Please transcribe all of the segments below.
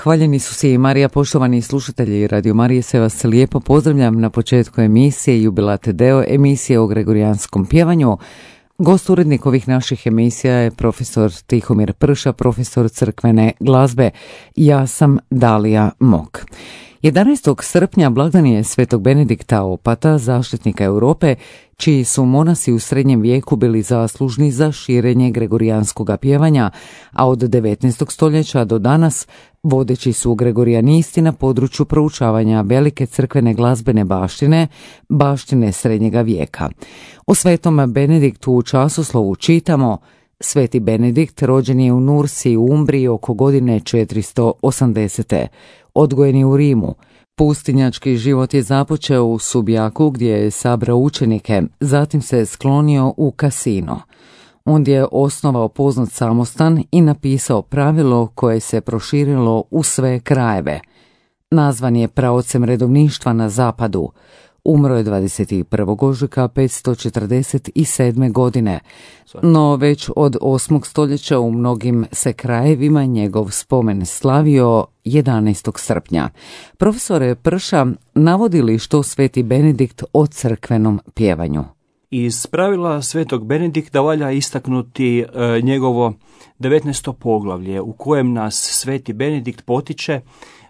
Hvaljeni su si i Marija, poštovani slušatelji Radio Marije, se vas lijepo pozdravljam na početku emisije Jubilate Deo, emisije o gregorijanskom pjevanju. Gost urednik ovih naših emisija je profesor Tihomir Prša, profesor crkvene glazbe. Ja sam Dalija Mok. 11. srpnja blagdan je svetog Benedikta Opata, zaštitnika Europe, čiji su monasi u srednjem vijeku bili zaslužni za širenje gregorijanskog pjevanja, a od 19. stoljeća do danas vodeći su gregorijanisti na području proučavanja velike crkvene glazbene baštine srednjega vijeka. O svetom Benediktu u časoslovu čitamo: Sveti Benedikt rođen je u Nursi u Umbriji oko godine 480. Odgojen je u Rimu. Pustinjački život je započeo u Subjaku gdje je sabrao učenike, zatim se sklonio u Cassino. Ondje je osnovao poznat samostan i napisao pravilo koje se proširilo u sve krajeve. Nazvan je praocem redovništva na zapadu. Umro je 21. ožujka 547. godine, no već od 8. stoljeća u mnogim se krajevima njegov spomen slavio 11. srpnja. Profesore Prša, navodi li što sveti Benedikt o crkvenom pjevanju? Iz pravila svetog Benedikta valja istaknuti njegovo 19. poglavlje u kojem nas sveti Benedikt potiče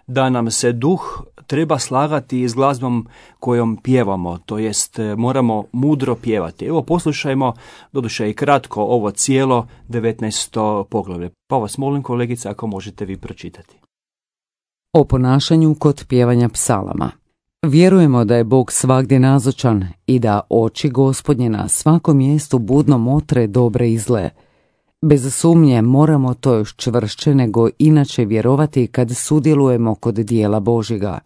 da nam se duh treba slagati s glazbom kojom pjevamo, to jest moramo mudro pjevati. Evo poslušajmo, doduše i kratko, ovo cijelo 19. poglavlje. Pa vas molim, kolegice, ako možete vi pročitati. O ponašanju kod pjevanja psalama. Vjerujemo da je Bog svagdje nazočan i da oči Gospodnje na svakom mjestu budno motre dobre i zle. Bez sumnje moramo to još čvršće nego inače vjerovati kad sudjelujemo kod dijela Božjega.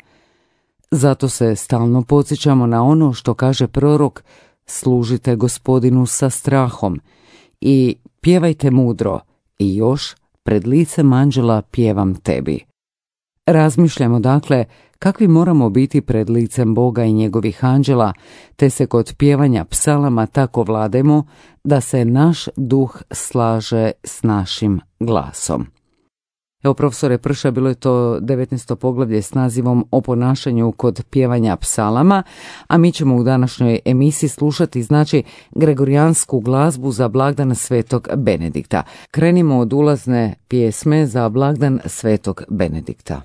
Zato se stalno podsjećamo na ono što kaže prorok: služite Gospodinu sa strahom i pjevajte mudro i još pred licem anđela pjevam tebi. Razmišljamo dakle kakvi moramo biti pred licem Boga i njegovih anđela, te se kod pjevanja psalama tako vlademo da se naš duh slaže s našim glasom. Evo, profesore Prša, bilo je to 19. poglavlje s nazivom O ponašanju kod pjevanja psalama, a mi ćemo u današnjoj emisiji slušati gregorijansku glazbu za blagdan svetog Benedikta. Krenimo od ulazne pjesme za blagdan svetog Benedikta.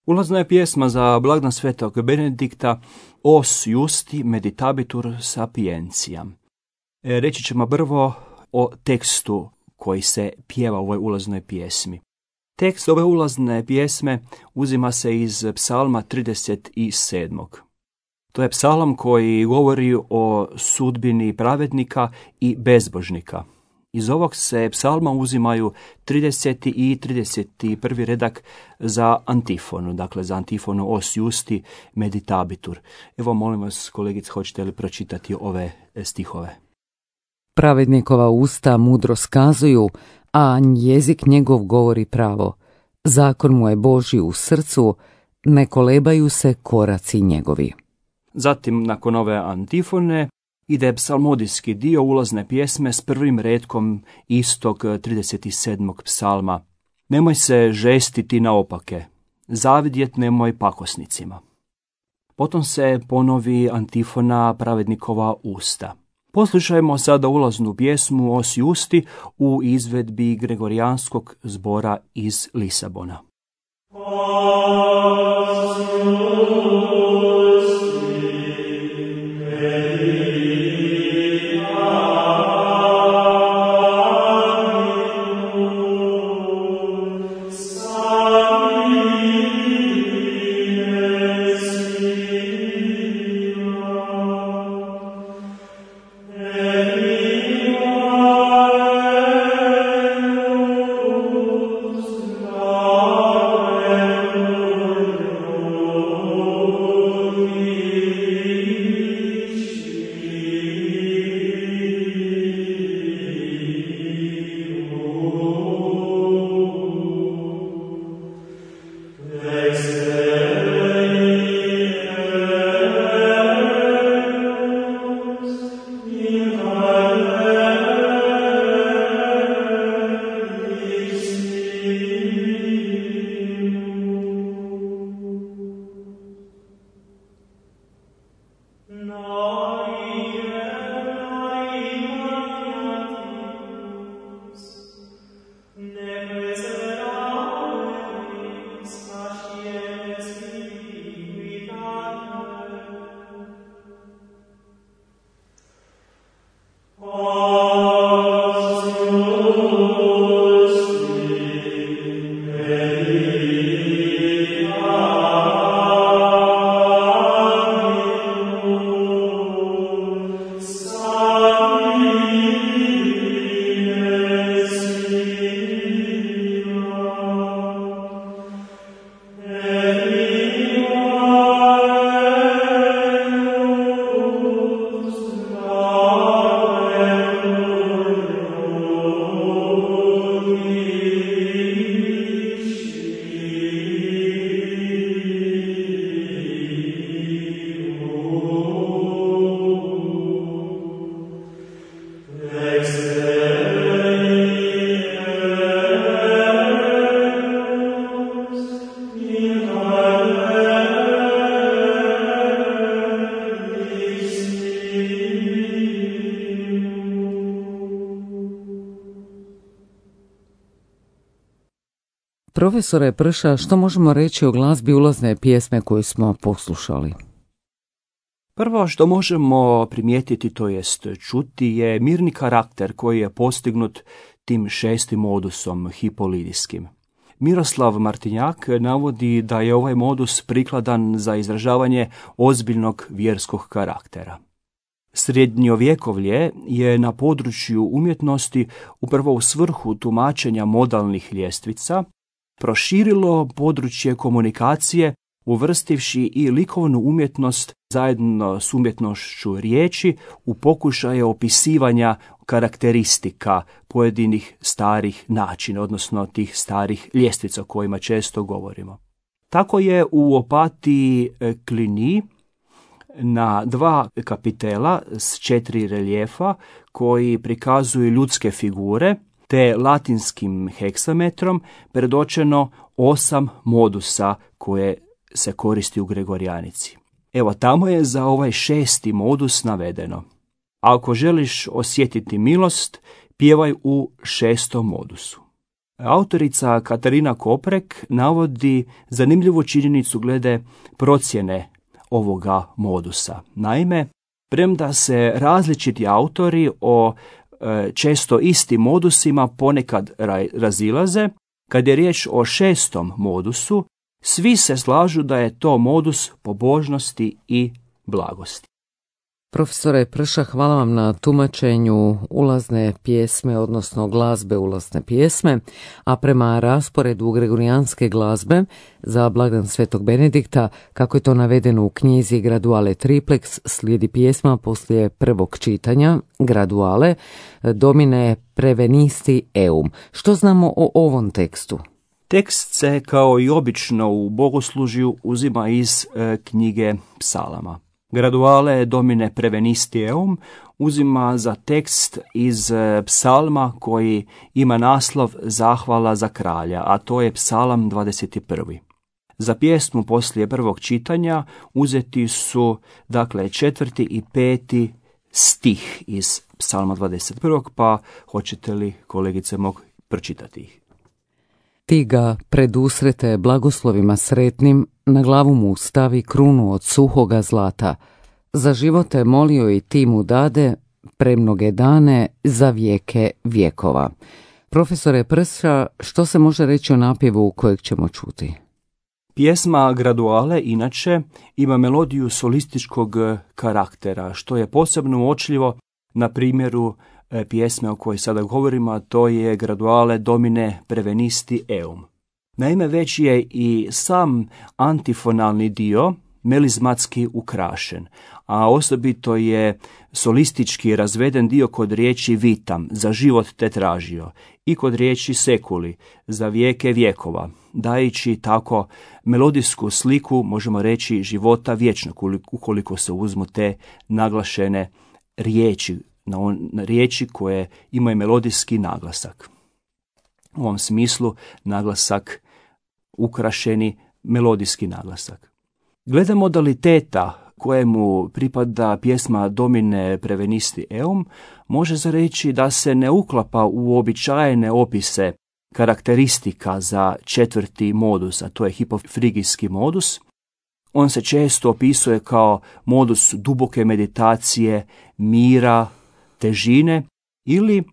Ulazna je pjesma za blagdan svetog Benedikta Os Justi Meditabitur Sapientiam. Reći ćemo prvo o tekstu koji se pjeva u ovoj ulaznoj pjesmi. Tekst ove ulazne pjesme uzima se iz psalma 37. To je psalam koji govori o sudbini pravednika i bezbožnika. Iz ovog se psalma uzimaju 30. i 31. redak za antifonu, dakle za antifonu Os Justi Meditabitur. Evo, molim vas, kolegice, hoćete li pročitati ove stihove? Pravednikova usta mudro skazuju, a jezik njegov govori pravo. Zakon mu je Božji u srcu, ne kolebaju se koraci njegovi. Zatim, nakon ove antifone, ide psalmodijski dio ulazne pjesme s prvim retkom istog 37. psalma. Nemoj se žestiti naopake, zavidjet nemoj pakosnicima. Potom se ponovi antifona pravednikova usta. Poslušajmo sada ulaznu pjesmu Os Justi u izvedbi Gregorijanskog zbora iz Lisabona. Profesore Prša, što možemo reći o glazbi ulazne pjesme koju smo poslušali? Prvo što možemo primijetiti, to jest čuti, je mirni karakter koji je postignut tim 6. modusom hipolidijskim. Miroslav Martinjak navodi da je ovaj modus prikladan za izražavanje ozbiljnog vjerskog karaktera. Srednjovjekovlje je na području umjetnosti, upravo u svrhu tumačenja modalnih ljestvica, proširilo područje komunikacije uvrstivši i likovnu umjetnost zajedno s umjetnošću riječi u pokušaje opisivanja karakteristika pojedinih starih načina, odnosno tih starih ljestvica o kojima često govorimo. Tako je u Opatiji Cluny na 2 kapitela s 4 reljefa koji prikazuju ljudske figure, te latinskim heksametrom predočeno 8 modusa koje se koristi u Gregorijanici. Evo, tamo je za ovaj 6. modus navedeno: ako želiš osjetiti milost, pjevaj u 6. modusu. Autorica Katarina Koprek navodi zanimljivu činjenicu glede procjene ovoga modusa. Naime, premda se različiti autori o često istim modusima ponekad razilaze, kad je riječ o 6. modusu, svi se slažu da je to modus pobožnosti i blagosti. Profesore Prša, hvala vam na tumačenju ulazne pjesme, odnosno glazbe ulazne pjesme, a prema rasporedu gregorijanske glazbe za blagdan Svetog Benedikta, kako je to navedeno u knjizi Graduale Triplex, slijedi pjesma poslije prvog čitanja, Graduale, Domine prevenisti eum. Što znamo o ovom tekstu? Tekst se, kao i obično u bogoslužju, uzima iz knjige psalama. Graduale Domine prevenisti eum uzima za tekst iz psalma koji ima naslov Zahvala za kralja, a to je psalam 21. Za pjesmu poslije prvog čitanja uzeti su, dakle, 4. i 5. stih iz psalma 21. pa hoćete li, kolegice, mogu pročitati ih? Ti ga predusrete blagoslovima sretnim, na glavu mu stavi krunu od suhoga zlata. Za živote molio i ti mu dade, premnoge dane, za vijeke vjekova. Profesore Prša, što se može reći o napjevu kojeg ćemo čuti? Pjesma Graduale inače ima melodiju solističkog karaktera, što je posebno uočljivo na primjeru pjesme o kojoj sada govorimo, a to je Graduale Domine prevenisti eum. Naime, već je i sam antifonalni dio melizmatski ukrašen, a osobito je solistički razveden dio kod riječi vitam, za život te tražio, i kod riječi sekuli, za vijeke vjekova, dajući tako melodijsku sliku, možemo reći, života vječnog, ukoliko se uzmu te naglašene riječi na riječi koje imaju melodijski naglasak. U ovom smislu naglasak ukrašeni melodijski naglasak. Glede modaliteta kojemu pripada pjesma Domine prevenisti eum, može se reći da se ne uklapa u uobičajene opise karakteristika za četvrti modus, a to je hipofrigijski modus. On se često opisuje kao modus duboke meditacije, mira, težine ili,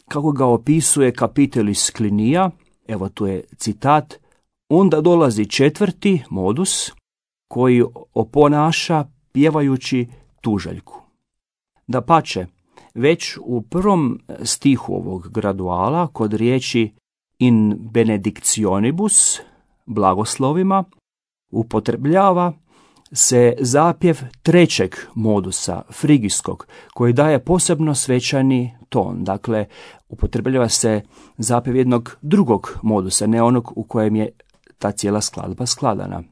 kako ga opisuje Kapitelis Klinija, evo tu je citat, onda dolazi četvrti modus koji oponaša pjevajući tužaljku. Dapače, već u prvom stihu ovog graduala kod riječi in benedictionibus, blagoslovima, upotrebljava se zapjev trećeg modusa, frigijskog, koji daje posebno svečani ton. Dakle, upotrebljava se zapjev jednog drugog modusa, ne onog u kojem je ta cijela skladba skladana.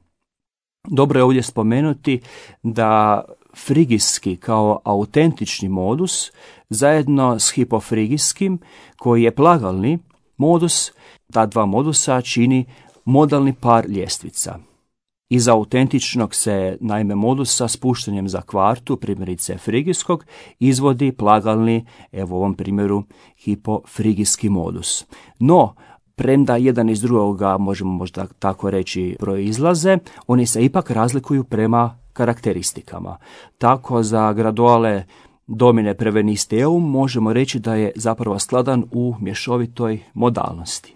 Dobro je ovdje spomenuti da frigijski kao autentični modus zajedno s hipofrigijskim, koji je plagalni modus, ta dva modusa čini modalni par ljestvica. Iz autentičnog se, naime, modusa spuštanjem za kvartu, primjerice frigijskog, izvodi plagalni, evo u ovom primjeru, hipofrigijski modus. No, premda jedan iz drugoga, možemo možda tako reći, proizlaze, oni se ipak razlikuju prema karakteristikama. Tako za graduale Domine prevenisti eum možemo reći da je zapravo skladan u mješovitoj modalnosti.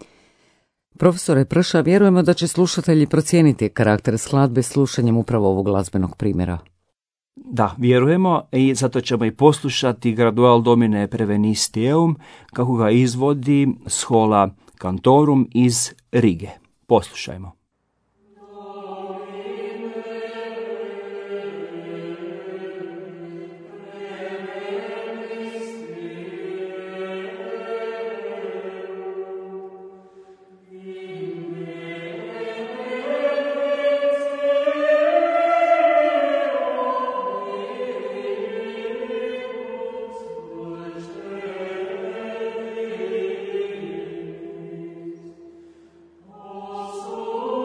Profesore Prša, vjerujemo da će slušatelji procijeniti karakter skladbe slušanjem upravo ovog glazbenog primjera. Da, vjerujemo i zato ćemo i poslušati gradual Domine prevenisti eum kako ga izvodi Schola Cantorum iz Rige. Poslušajmo. Oh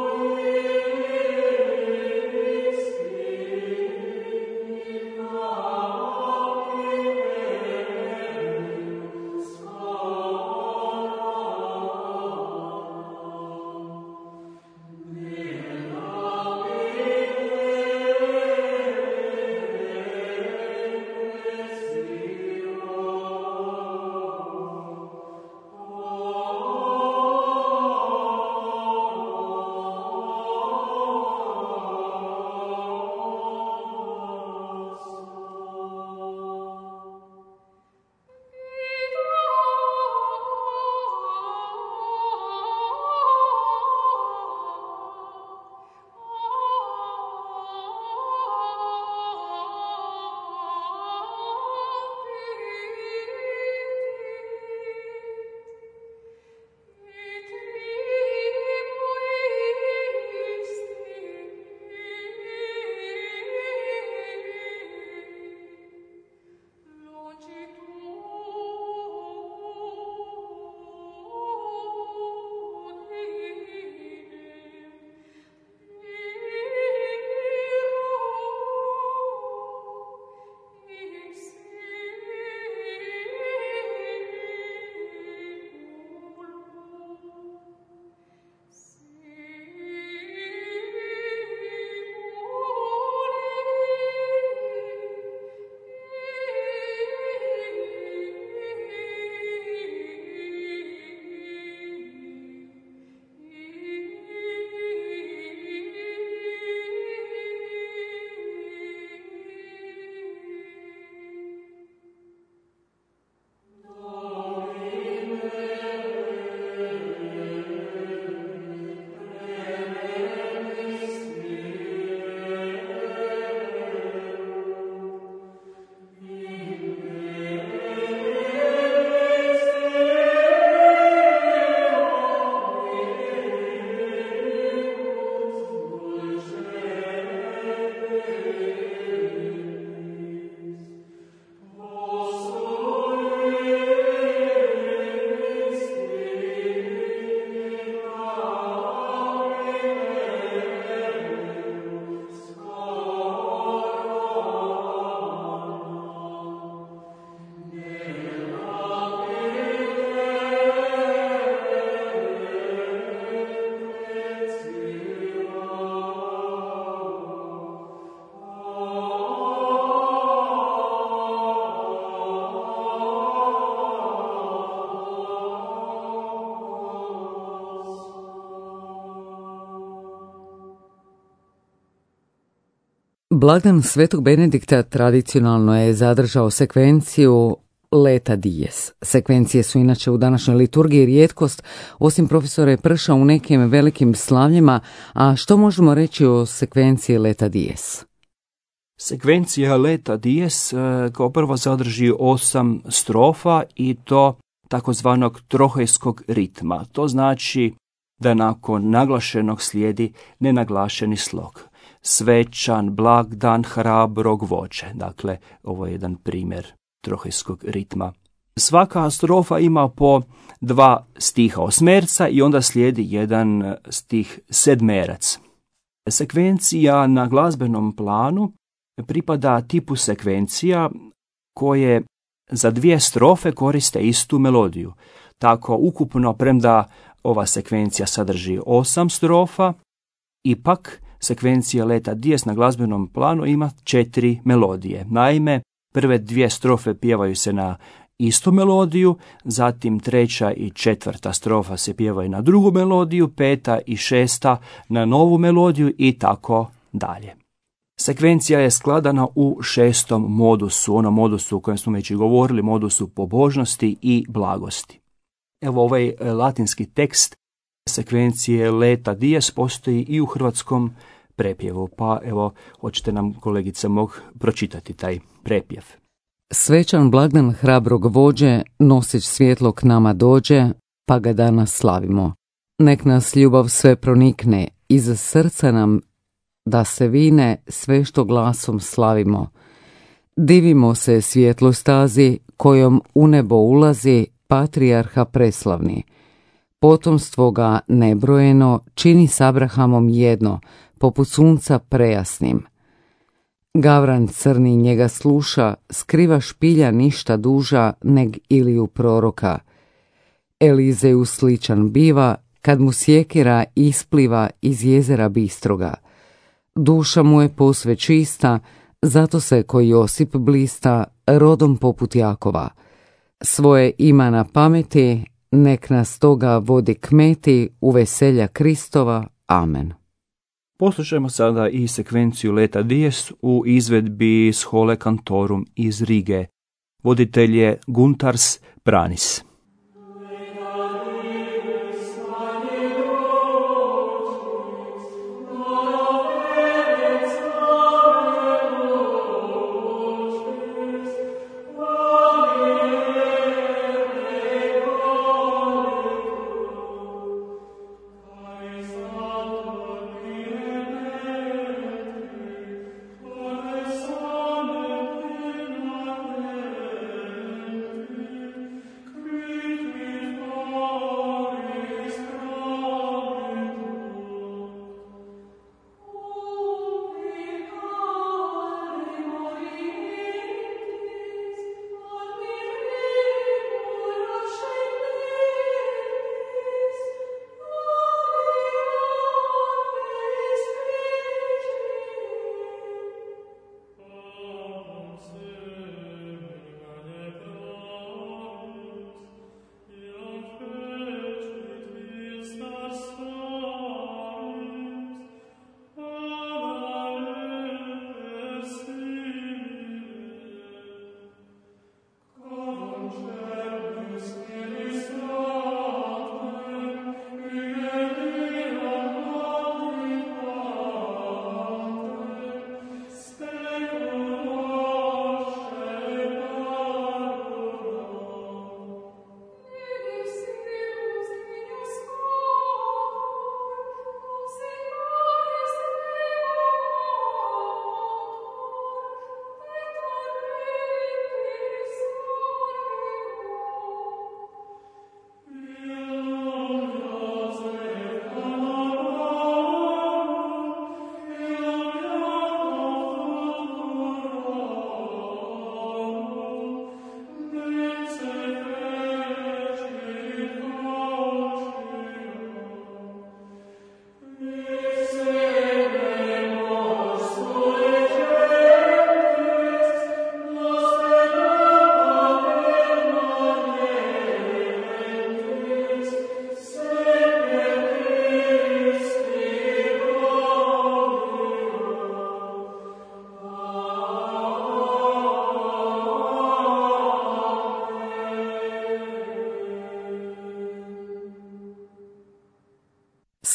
Blagdan Svetog Benedikta tradicionalno je zadržao sekvenciju Leta Dies. Sekvencije su inače u današnjoj liturgiji rijetkost, osim profesora Prša u nekim velikim slavljima, a što možemo reći o sekvenciji Leta Dies? Sekvencija Leta Dies kao prvo sadrži 8 strofa i to takozvanog trohejskog ritma. To znači da nakon naglašenog slijedi nenaglašeni slog. Svečan, blagdan, hrabrog vođe. Dakle, ovo je jedan primjer trohejskog ritma. Svaka strofa ima po 2 stiha osmerca i onda slijedi jedan stih sedmerac. Sekvencija na glazbenom planu pripada tipu sekvencija koje za 2 strofe koriste istu melodiju. Tako ukupno, premda ova sekvencija sadrži 8 strofa, ipak sekvencija Leta Dies na glazbenom planu ima 4 melodije. Naime, prve 2 strofe pjevaju se na istu melodiju, zatim 3. i 4. strofa se pjevaju na drugu melodiju, 5. i 6. na novu melodiju i tako dalje. Sekvencija je skladana u 6. modusu, onom modusu o kojem smo već i govorili, modusu pobožnosti i blagosti. Evo, ovaj latinski tekst sekvencije Leta Dies postoji i u hrvatskom prepjevu, pa evo, hoćete nam, kolegice, pročitati taj prepjev. Svečan blagdan hrabrog vođe, nosić svjetlo k nama dođe, pa ga danas slavimo. Nek nas ljubav sve pronikne, iz srca nam da se vine sve što glasom slavimo. Divimo se svjetloj stazi, kojom u nebo ulazi patrijarha preslavni. Potomstvo ga nebrojeno čini s Abrahamom jedno, poput sunca prejasnim. Gavran crni njega sluša, skriva špilja ništa duža neg Iliju proroka. Elizeju sličan biva, kad mu sjekira ispliva iz jezera bistroga. Duša mu je posve čista, zato se ko Josip blista, rodom poput Jakova. Svoje ima na pameti, nek nas toga vodi kmeti u veselja Kristova. Amen. Poslušajmo sada i sekvenciju Leta Dies u izvedbi Schole Cantorum iz Rige. Voditelj je Guntars Pranis. Christ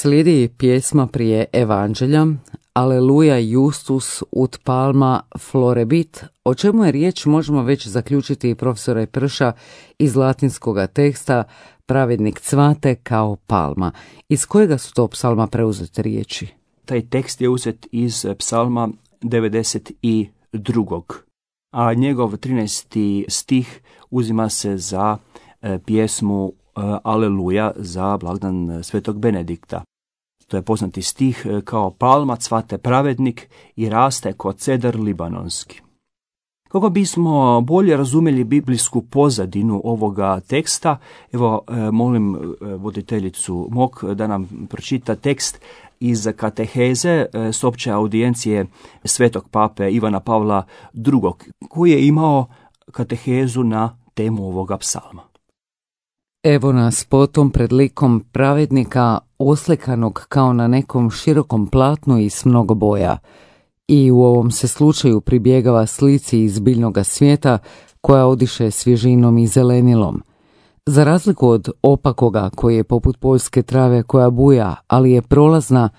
Slijedi pjesma prije Evanđelja, Aleluja Justus ut palma florebit. O čemu je riječ možemo već zaključiti profesora Prša iz latinskog teksta Pravednik cvate kao palma. Iz kojega su to psalma preuzete riječi? Taj tekst je uzet iz psalma 92. A njegov 13. stih uzima se za pjesmu Aleluja za blagdan svetog Benedikta. To je poznati stih: kao palma cvate pravednik i raste kao cedar libanonski. Kako bismo bolje razumjeli biblijsku pozadinu ovoga teksta, evo molim voditeljicu MOK da nam pročita tekst iz kateheze s opće audijencije svetog pape Ivana Pavla II. Koji je imao katehezu na temu ovoga psalma. Evo nas potom pred likom pravednika oslikanog kao na nekom širokom platnu i s mnogo boja. I u ovom se slučaju pribjegava slici iz biljnoga svijeta koja odiše svježinom i zelenilom. Za razliku od opakoga koji je poput poljske trave koja buja, ali je prolazna,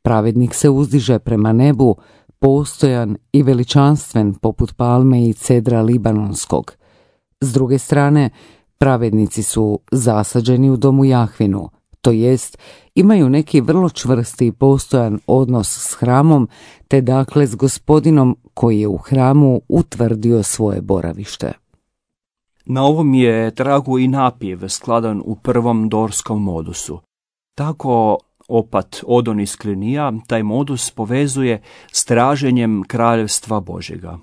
pravednik se uzdiže prema nebu, postojan i veličanstven poput palme i cedra libanonskog. S druge strane, pravednici su zasađeni u domu Jahvinu, to jest imaju neki vrlo čvrsti i postojan odnos s hramom, te dakle s Gospodinom koji je u hramu utvrdio svoje boravište. Na ovom je tragu i napjev skladan u prvom dorskom modusu. Tako opat Odon iz Klinija taj modus povezuje s traženjem kraljevstva Božjega.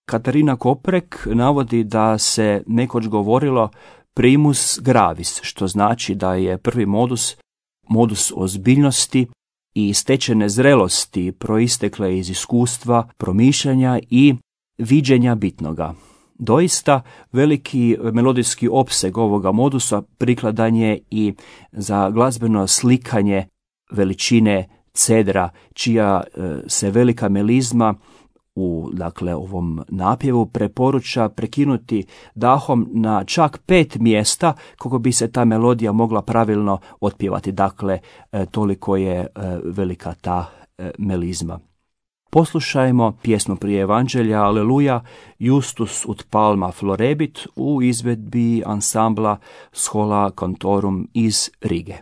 Katarina Koprek navodi da se nekoć govorilo primus gravis, što znači da je prvi modus ozbiljnosti i stečene zrelosti proistekle iz iskustva, promišljanja i viđenja bitnoga. Doista, veliki melodijski opseg ovoga modusa prikladan je i za glazbeno slikanje veličine cedra, čija se velika melizma u ovom napjevu preporuča prekinuti dahom na čak 5 mjesta kako bi se ta melodija mogla pravilno otpjevati. Dakle, toliko je velika ta melizma. Poslušajmo pjesmu prije Evanđelja Aleluja Justus ut palma florebit u izvedbi ansambla Schola Cantorum iz Rige.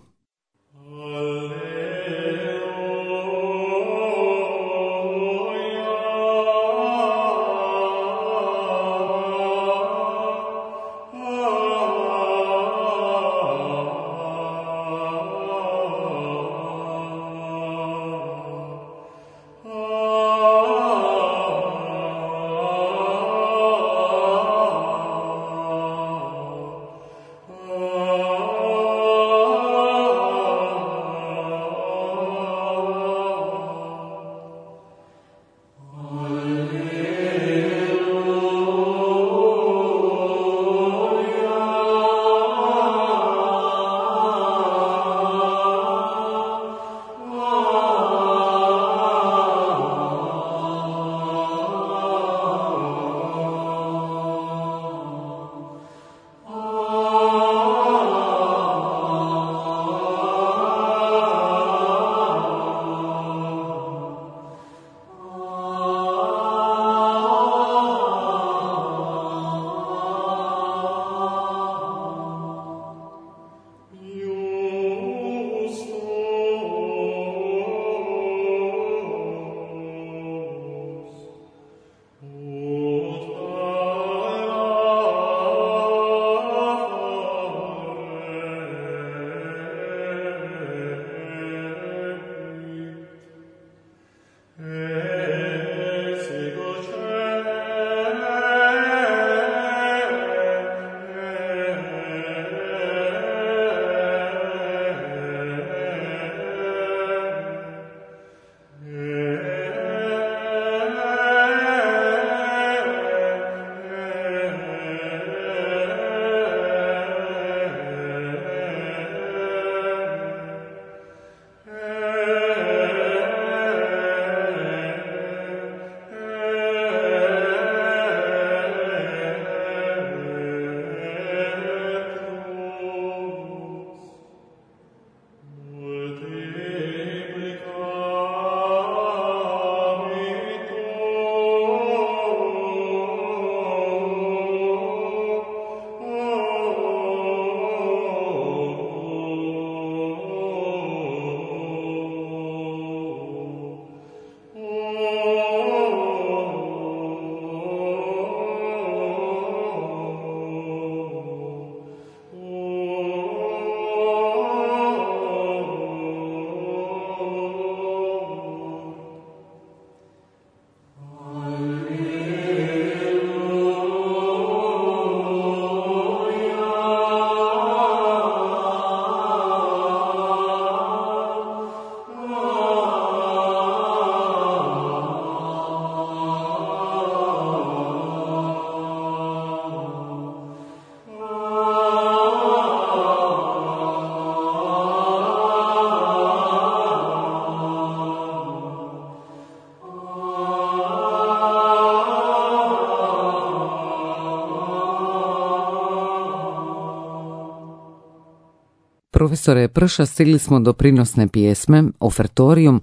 Profesore Prša, stigli smo do prinosne pjesme, ofertorium,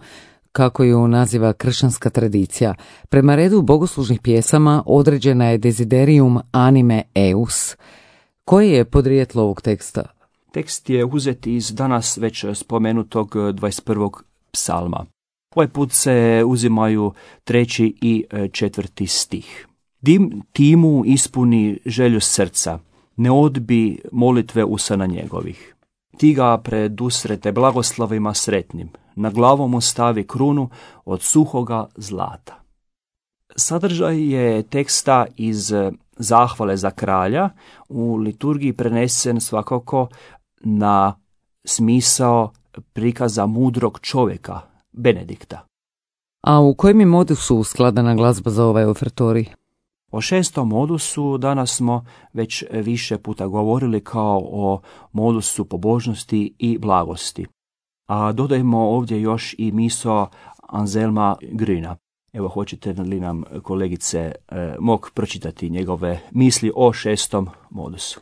kako ju naziva kršćanska tradicija. Prema redu bogoslužnih pjesama određena je desiderium anime eus. Koje je podrijetlo ovog teksta? Tekst je uzet iz danas već spomenutog 21. psalma. Ovaj put se uzimaju 3. i 4. stih. Ti mu ispuni želju srca, ne odbi molitve usana njegovih. Ti ga predusrete blagoslovima sretnim, na glavu mu stavi krunu od suhoga zlata. Sadržaj je teksta iz zahvale za kralja u liturgiji prenesen svakako na smisao prikaza mudrog čovjeka, Benedikta. A u kojem je modusu skladana glazba za ovaj ofertorij? O 6. modusu danas smo već više puta govorili kao o modusu pobožnosti i blagosti. A dodajemo ovdje još i misao Anselma Grüna. Evo, hoćete li nam, kolegice, mog pročitati njegove misli o 6. modusu?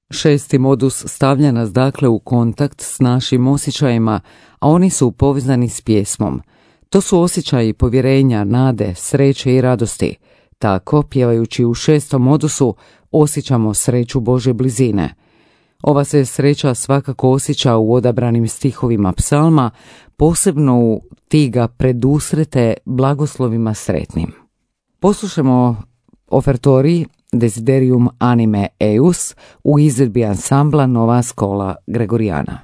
6. modus stavlja nas dakle u kontakt s našim osjećajima, a oni su povezani s pjesmom. To su osjećaji povjerenja, nade, sreće i radosti. Tako, pjevajući u 6. modusu, osjećamo sreću Božje blizine. Ova se sreća svakako osjeća u odabranim stihovima psalma, posebno u ti ga predusrete blagoslovima sretnim. Poslušamo ofertorij Desiderium anime eus u izvedbi ansambla Nova Schola Gregoriana.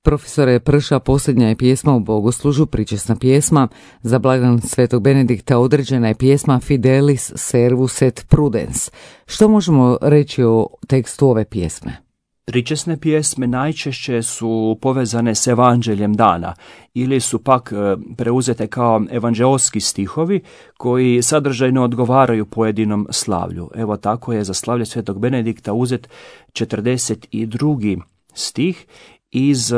Profesore Prša, posljednja je pjesma u bogoslužu, pričesna pjesma. Za blagdan Svetog Benedikta određena je pjesma Fidelis servus et prudens. Što možemo reći o tekstu ove pjesme? Pričesne pjesme najčešće su povezane s evanđeljem dana ili su pak preuzete kao evanđeoski stihovi koji sadržajno odgovaraju pojedinom slavlju. Evo tako je za slavlje Svetog Benedikta uzet 42. stih iz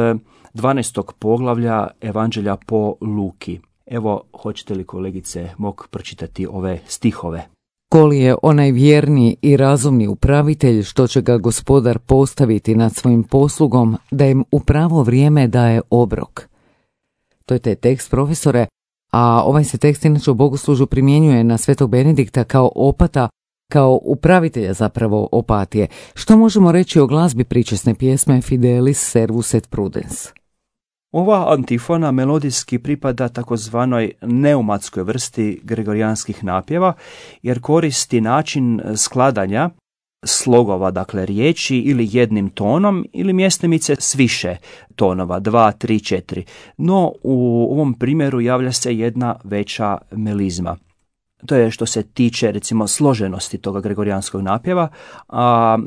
12. poglavlja Evanđelja po Luki. Evo, hoćete li, kolegice, mog pročitati ove stihove? Koli je onaj vjerni i razumni upravitelj, što će ga gospodar postaviti nad svojim poslugom, da im u pravo vrijeme daje obrok. To je taj tekst, profesore, a ovaj se tekst inače u bogoslužu primjenjuje na Svetog Benedikta kao opata, kao upravitelja zapravo opatije. Što možemo reći o glazbi pričesne pjesme Fidelis servus et prudens? Ova antifona melodijski pripada takozvanoj neumatskoj vrsti gregorijanskih napjeva, jer koristi način skladanja slogova, dakle riječi, ili jednim tonom ili mjestimice s više tonova, 2, 3, 4. No u ovom primjeru javlja se jedna veća melizma. To je što se tiče, recimo, složenosti toga gregorijanskog napjeva, a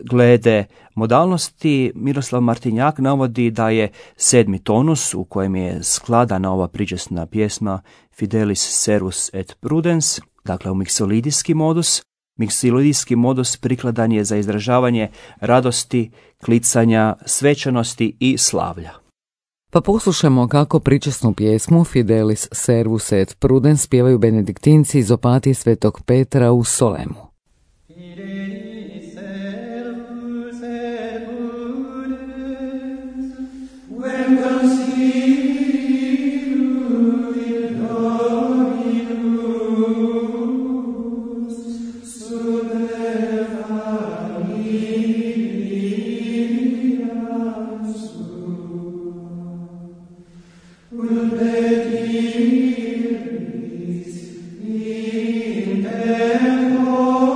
glede modalnosti Miroslav Martinjak navodi da je 7. tonus u kojem je skladana ova pričesna pjesma Fidelis servus et prudens, dakle u miksolidijski modus. Miksolidijski modus prikladan je za izražavanje radosti, klicanja, svečanosti i slavlja. Pa poslušamo kako pričesnu pjesmu Fidelis servus et prudens pjevaju benediktinci iz opatije Svetog Petra u Solemu. Oh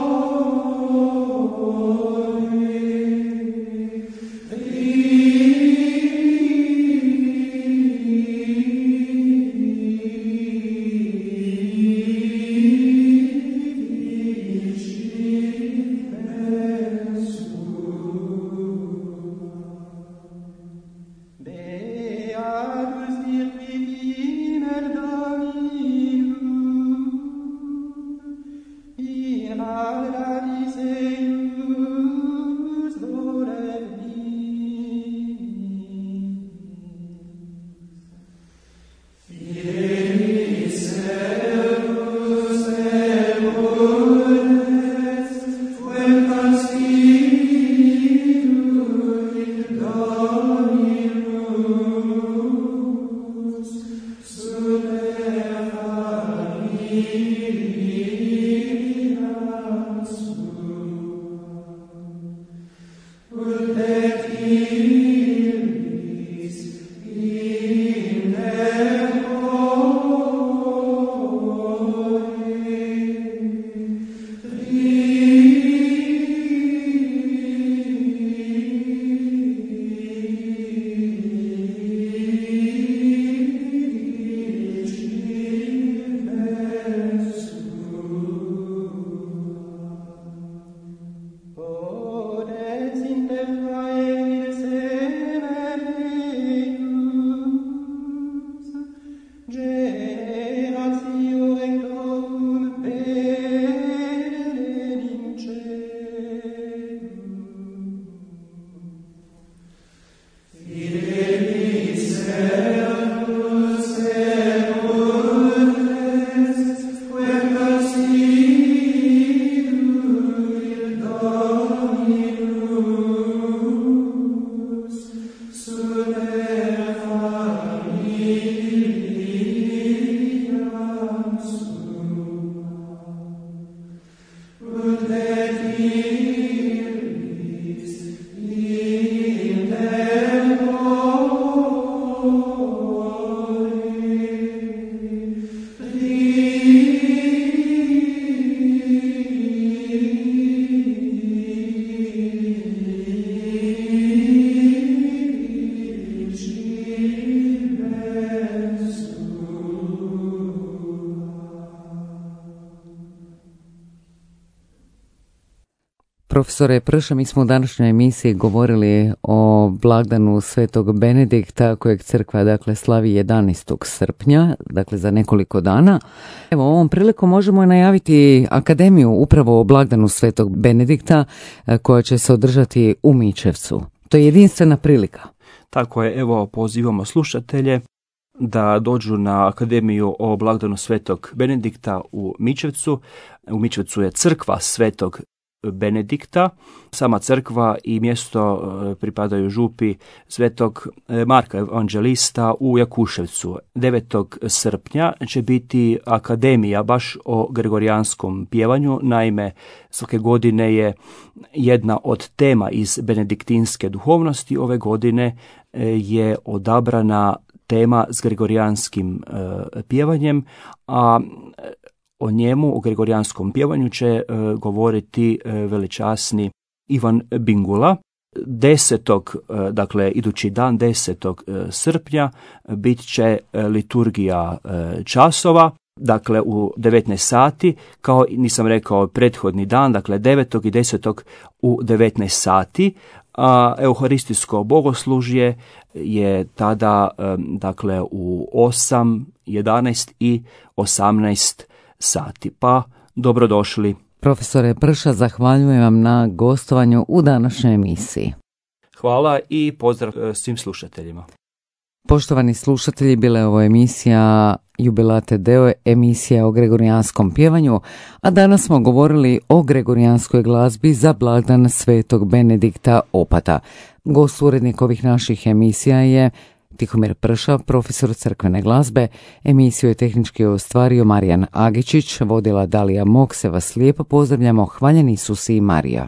Profesore Prša, mi smo u današnjoj emisiji govorili o blagdanu Svetog Benedikta kojeg crkva slavi 11. srpnja, dakle za nekoliko dana. Evo, ovom prilikom možemo najaviti akademiju upravo o blagdanu Svetog Benedikta koja će se održati u Mičevcu. To je jedinstvena prilika. Tako je, evo pozivamo slušatelje da dođu na akademiju o blagdanu Svetog Benedikta u Mičevcu. U Mičevcu je crkva Svetog Benedikta, sama crkva i mjesto pripadaju župi Svetog Marka Evanđelista u Jakuševcu. 9. srpnja će biti akademija baš o gregorijanskom pjevanju. Naime, svake godine je jedna od tema iz benediktinske duhovnosti. Ove godine je odabrana tema s gregorijanskim pjevanjem, a o njemu, o gregorijanskom pjevanju će govoriti veličasni Ivan Bingula. 10. dakle idući dan 10. srpnja bit će liturgija časova, dakle u 19 sati, kao nisam rekao prethodni dan, dakle 9. i 10. u 19 sati, a euharistijsko bogoslužje je tada dakle u 8, 11 i 18 sati. Pa dobrodošli. Profesore Prša, zahvaljujem vam na gostovanju u današnjoj emisiji. Hvala i pozdrav svim slušateljima. Poštovani slušatelji, bila je ovo emisija Jubilate Deo, emisija o gregorijanskom pjevanju, a danas smo govorili o gregorijanskoj glazbi za blagdan Svetog Benedikta Opata. Gost urednik ovih naših emisija je Tihomir Prša, profesor crkvene glazbe. Emisiju je tehnički ostvario Marijan Agičić, vodila Dalija Mok. Se vas lijepo pozdravljamo. Hvaljeni Isus i Marija.